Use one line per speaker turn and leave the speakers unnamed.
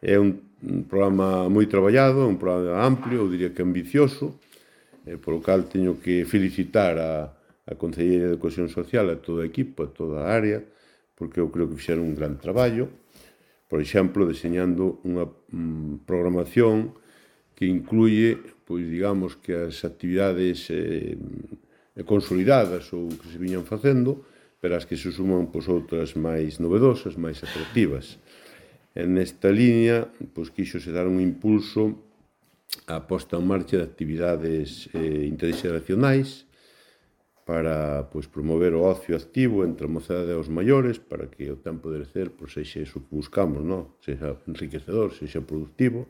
É un programa moi traballado, un programa amplio, eu diría que ambicioso, polo cal teño que felicitar a Concellería de Cohesión Social, a toda a equipa, a toda a área, porque eu creo que fixeron un gran traballo, por exemplo, deseñando unha programación que incluye, pois digamos que as actividades consolidadas ou que se viñan facendo, pero as que se suman pois, outras máis novedosas, máis atractivas. E nesta línea, pois quixose dar un impulso a posta en marcha de actividades interxeracionais para pois, promover o ocio activo entre a mocedade e os maiores, para que o tempo de lecer pois, sexa iso que buscamos, non? Sexa enriquecedor, sexa productivo,